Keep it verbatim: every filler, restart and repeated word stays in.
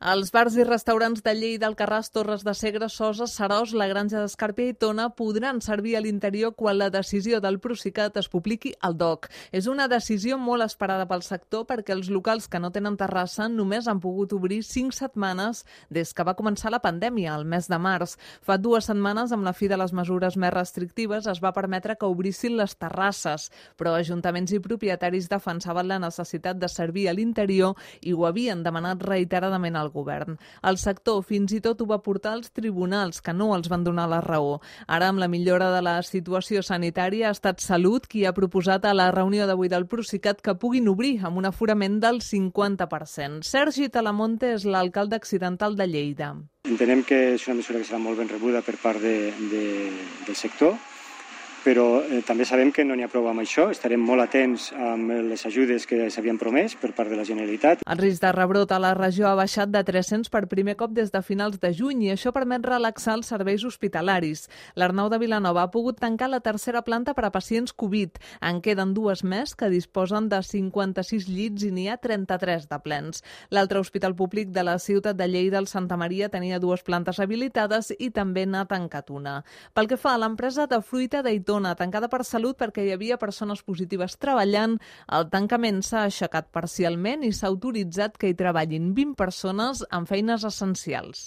Els bars i restaurants de Lleida, Alcarràs, Torres de Segre, Sosa, Seròs, la Granja d'Escarpia i Tona podran servir a l'interior quan la decisió del Procicat es publiqui al D O C. És una decisió molt esperada pel sector perquè els locals que no tenen terrassa només han pogut obrir cinc setmanes des que va començar la pandèmia, el mes de març. Fa dues setmanes, amb la fi de les mesures més restrictives, es va permetre que obrissin les terrasses, però ajuntaments i propietaris defensaven la necessitat de servir a l'interior i ho havien demanat reiteradament al govern. El sector fins i tot ho va portar als tribunals, que no els van donar la raó. Ara, amb la millora de la situació sanitària, ha estat Salut qui ha proposat a la reunió d'avui del Procicat que puguin obrir amb un aforament del cinquanta per cent. Sergi Talamonte és l'alcalde accidental de Lleida. Entenem que és una mesura que serà molt ben rebuda per part de, de, del sector, però eh, també sabem que no n'hi ha prou amb això. Estarem molt atents amb les ajudes que s'havien promès per part de la Generalitat. El risc de rebrot a la regió ha baixat de tres-cents per primer cop des de finals de juny i això permet relaxar els serveis hospitalaris. L'Arnau de Vilanova ha pogut tancar la tercera planta per a pacients Covid. En queden dues més que disposen de cinquanta-sis llits i n'hi ha trenta-tres de plens. L'altre hospital públic de la ciutat de Lleida, el Santa Maria, tenia dues plantes habilitades i també n'ha tancat una. Pel que fa a l'empresa de fruita d'Aitona, tancada per Salut perquè hi havia persones positives treballant, el tancament s'ha aixecat parcialment i s'ha autoritzat que hi treballin vint persones en feines essencials.